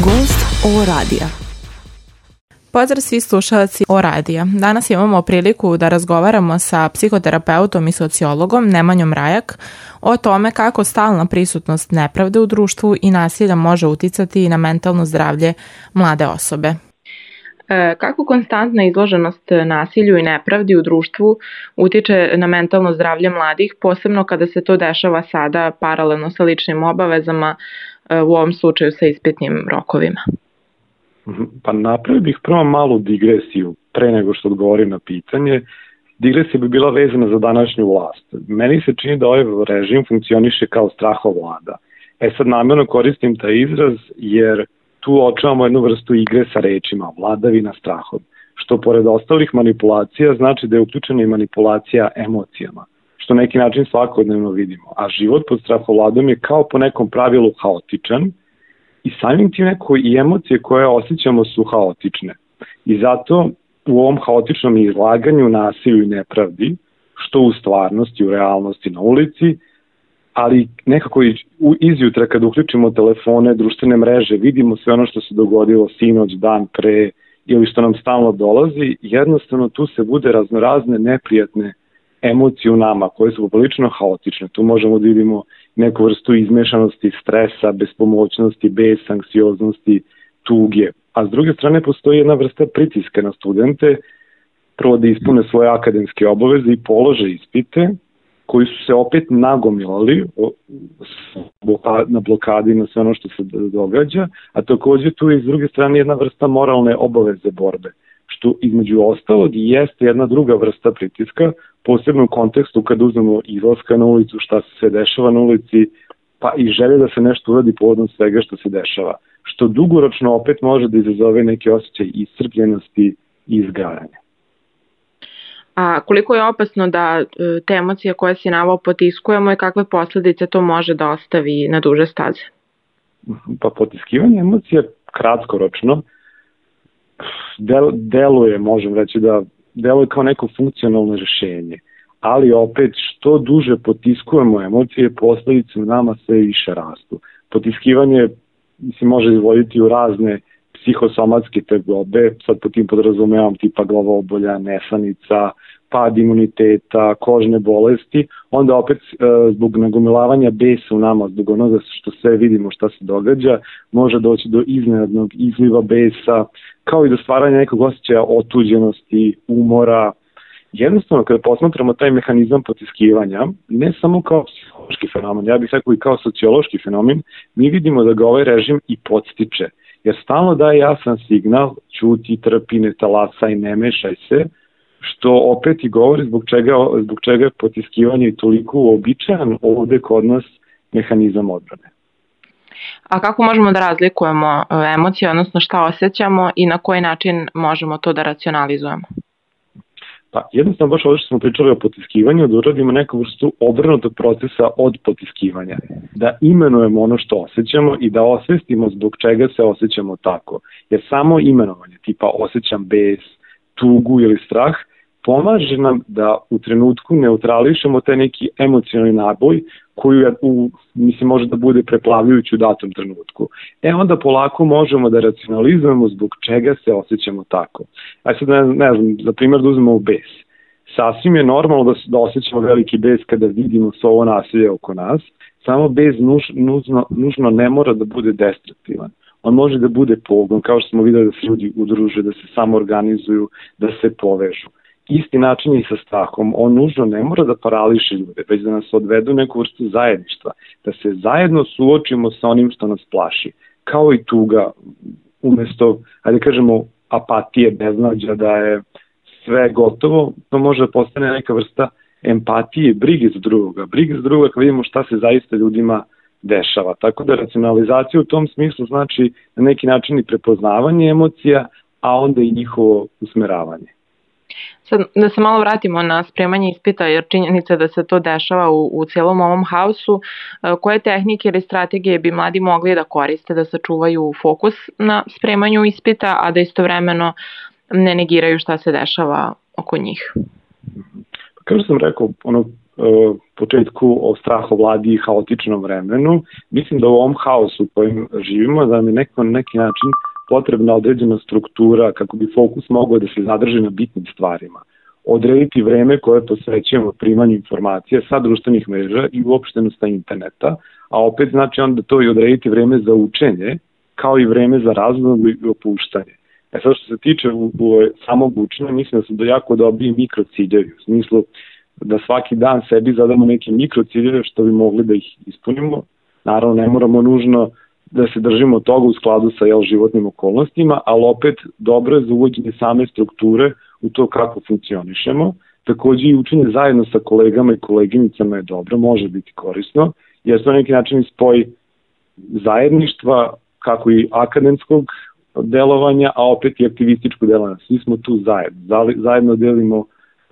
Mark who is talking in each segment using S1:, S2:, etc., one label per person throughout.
S1: Gost O radija. Pozdrav svi slušalci O radija. Danas imamo priliku da razgovaramo sa psihoterapeutom i sociologom Nemanjom Rajak o tome kako stalna prisutnost nepravde u društvu i nasilja može uticati na mentalno zdravlje mlade osobe. Kako konstantna izloženost nasilju i nepravdi u društvu utiče na mentalno zdravlje mladih, posebno kada se to dešava sada paralelno sa ličnim obavezama, u ovom slučaju sa ispitnim rokovima?
S2: Pa napravio bih prvo malu digresiju pre nego što odgovorim na pitanje. Digresija bi bila vezana za današnju vlast. Meni se čini da ovaj režim funkcioniše kao strahovlada. Sad namjerno koristim taj izraz jer tu očuvamo jednu vrstu igre sa rečima, vladavina strahom, što pored ostalih manipulacija znači da je uključena i manipulacija emocijama, što na neki način svakodnevno vidimo. A život pod strahovladom je kao po nekom pravilu haotičan i samim tim neko i emocije koje osjećamo su haotične. I zato u ovom haotičnom izlaganju nasilju i nepravdi, što u stvarnosti, u realnosti na ulici, ali nekako izjutra kada uključimo telefone, društvene mreže, vidimo sve ono što se dogodilo sinoć, dan pre ili što nam stalno dolazi, jednostavno tu se bude raznorazne neprijatne emocije u nama koje su poprilično haotične. Tu možemo da vidimo neku vrstu izmešanosti, stresa, bespomoćnosti, besa, anksioznosti, tuge. A s druge strane postoji jedna vrsta pritiska na studente, prvo da ispune svoje akademske obaveze i polože ispite, koji su se opet nagomilali na blokadi na sve ono što se događa, a takođe tu je s druge strane jedna vrsta moralne obaveze borbe, što između ostalog i jeste jedna druga vrsta pritiska, posebno u kontekstu kad uzmemo izlaska na ulicu, šta se sve dešava na ulici, pa i želje da se nešto uradi povodom svega što se dešava, što dugoročno opet može da izazove neke osjećaje iscrpljenosti i izgaranja.
S1: A koliko je opasno da te emocije koje si naveo potiskujemo i kakve posledice to može da ostavi na duže staze?
S2: Pa potiskivanje emocija kratkoročno deluje, možem reći da deluje kao neko funkcionalno rešenje, ali opet što duže potiskujemo emocije, posledice u nama sve više rastu. Potiskivanje može izvoditi u razne psihosomatske tegobe, sad po tim podrazumevam tipa glavobolja, nesanica, pad imuniteta, kožne bolesti, onda opet zbog nagomilavanja besa u nama, zbog onoga što sve vidimo šta se događa, može doći do iznenadnog izliva besa, kao i do stvaranja nekog osjećaja otuđenosti, umora. Jednostavno, kada posmatramo taj mehanizam potiskivanja, ne samo kao psihološki fenomen, ja bih rekao i kao sociološki fenomen, mi vidimo da ga ovaj režim i podstiče, jer stalno daje jasan signal, ćuti, trpi, ne talasaj, ne mešaj se, što opet i govori zbog čega je potiskivanje toliko uobičajan ovde kod nas mehanizam odbrane.
S1: A kako možemo da razlikujemo emocije, odnosno šta osjećamo i na koji način možemo to da racionalizujemo?
S2: Pa jednostavno baš ovdje što smo pričali o potiskivanju, da uradimo neku vrstu obrnutog procesa od potiskivanja. Da imenujemo ono što osjećamo i da osvestimo zbog čega se osjećamo tako. Jer samo imenovanje, tipa osjećam bes, tugu ili strah, pomaže nam da u trenutku neutrališemo taj neki emocionalni naboj koji može da bude preplavljujući u datom trenutku. Onda polako možemo da racionalizujemo zbog čega se osjećamo tako. Sad ne znam, za primjer da uzmemo bes. Sasvim je normalno da osjećamo veliki bes kada vidimo sve ovo nasilje oko nas, samo bes nužno ne mora da bude destruktivan. On može da bude pogon, kao što smo videli da se ljudi udruže, da se samoorganizuju, da se povežu. Isti način je i sa strahom. On nužno ne mora da parališe ljude, već da nas odvedu neku vrstu zajedništva, da se zajedno suočimo sa onim što nas plaši. Kao i tuga, umesto, ajde kažemo, apatije, beznađa, da je sve gotovo, to može da postane neka vrsta empatije, brige za drugoga. Brige za drugoga kad vidimo šta se zaista ljudima dešava. Tako da racionalizacija u tom smislu znači na neki način i prepoznavanje emocija, a onda i njihovo usmeravanje.
S1: Sad da se malo vratimo na spremanje ispita, jer činjenica da se to dešava u cijelom ovom haosu, koje tehnike ili strategije bi mladi mogli da koriste da sačuvaju fokus na spremanju ispita, a da istovremeno ne negiraju šta se dešava oko njih?
S2: Kao što sam rekao, početku o strahovladi i haotičnom vremenu. Mislim da u ovom haosu u kojem živimo, da nam je na neki način potrebna određena struktura kako bi fokus mogao da se zadrži na bitnim stvarima. Odrediti vreme koje posvećujemo primanju informacija sa društvenih mreža i uopšteno sa interneta, a opet znači onda to i odrediti vreme za učenje, kao i vreme za razgovor i opuštanje. Sad što se tiče samog učenja, mislim da su jako dobri mikrociljevi, u smislu da svaki dan sebi zadamo neke mikrociljeve što bi mogli da ih ispunimo. Naravno, ne moramo nužno da se držimo toga u skladu sa životnim okolnostima, ali opet dobro je za uvođenje same strukture u to kako funkcionišemo. Takođe i učenje zajedno sa kolegama i koleginicama je dobro, može biti korisno, jer to na neki način spoj zajedništva, kako i akademskog delovanja, a opet i aktivističko delovanja. Svi smo tu zajedno delimo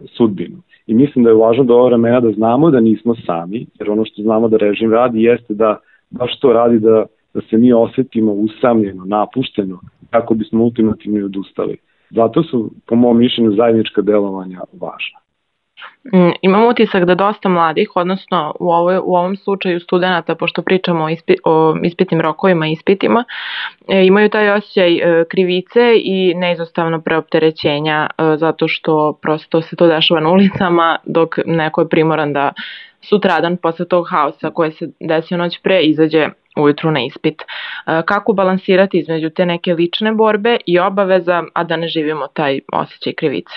S2: sudbinu. I mislim da je važno do ova vremena da znamo da nismo sami, jer ono što znamo da režim radi jeste da baš to radi da se mi osetimo usamljeno, napušteno, kako bismo ultimativno odustali. Zato su, po mom mišljenju, zajednička delovanja važna.
S1: Imam utisak da dosta mladih, odnosno u ovom slučaju studenta, pošto pričamo o ispitnim rokovima i ispitima, imaju taj osjećaj krivice i neizostavno preopterećenja zato što prosto se to dešava na ulicama dok neko je primoran da sutradan posle tog haosa koje se desio noć pre izađe ujutru na ispit. Kako balansirati između te neke lične borbe i obaveza, a da ne živimo taj osjećaj krivice?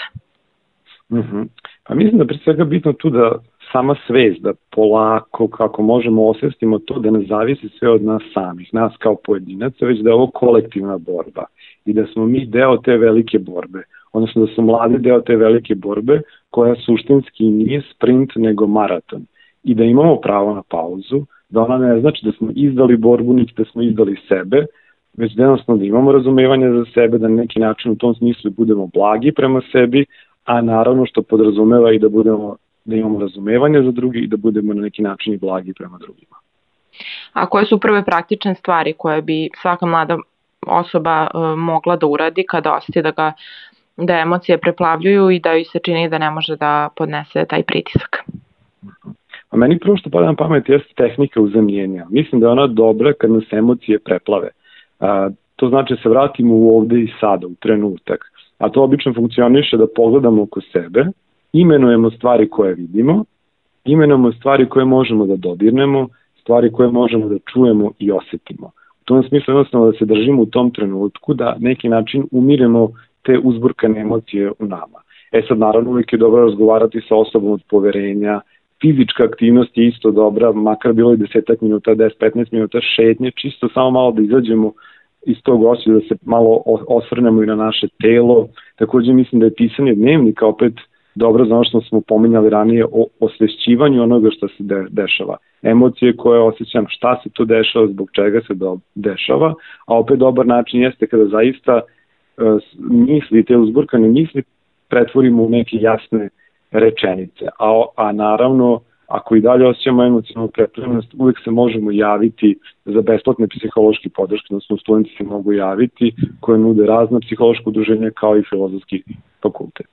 S2: Pa mislim da pre svega bitno tu da sama svest, da polako kako možemo osvestimo to da ne zavisi sve od nas samih, nas kao pojedinaca, već da je ovo kolektivna borba i da smo mi deo te velike borbe, odnosno da su mladi deo te velike borbe koja suštinski nije sprint nego maraton i da imamo pravo na pauzu, da ona ne znači da smo izdali borbu niti da smo izdali sebe, već da jednostavno da imamo razumevanje za sebe, da na neki način u tom smislu budemo blagi prema sebi, a naravno što podrazumeva i da imamo razumevanje za drugi i da budemo na neki način i blagi prema drugima.
S1: A koje su prve praktične stvari koje bi svaka mlada osoba mogla da uradi kada osjeti da emocije preplavljuju i da joj se čini da ne može da podnese taj pritisak?
S2: A meni prvo što pada na pamet jeste tehnika uzemljenja. Mislim da je ona dobra kad nas emocije preplave. To znači da se vratimo u ovde i sada, u trenutak. A to obično funkcioniše da pogledamo oko sebe, imenujemo stvari koje vidimo, imenujemo stvari koje možemo da dodirnemo, stvari koje možemo da čujemo i osetimo. U tom smislu jednostavno da se držimo u tom trenutku, da neki način umiremo te uzburkane emocije u nama. Sad naravno uvijek je dobro razgovarati sa osobom od poverenja, fizička aktivnost je isto dobra, makar bilo i 10 minuta, 10-15 minuta šetnje, čisto samo malo da izađemo iz tog osjeća, da se malo osvrnemo i na naše telo. Takođe mislim da je pisanje dnevnika opet dobro za ono što smo pominjali ranije o osvešćivanju onoga što se dešava. Emocije koje osjećam, šta se to dešava, zbog čega se dešava, a opet dobar način jeste kada zaista misli, te uzburkane misli pretvorimo u neke jasne rečenice. A naravno, ako i dalje osjećamo emocionalnu prepravljenost, uvek se možemo javiti za besplatne psihološke podrške, odnosno studenti se mogu javiti koje nude razna psihološka udruženja kao i Filozofski fakultet.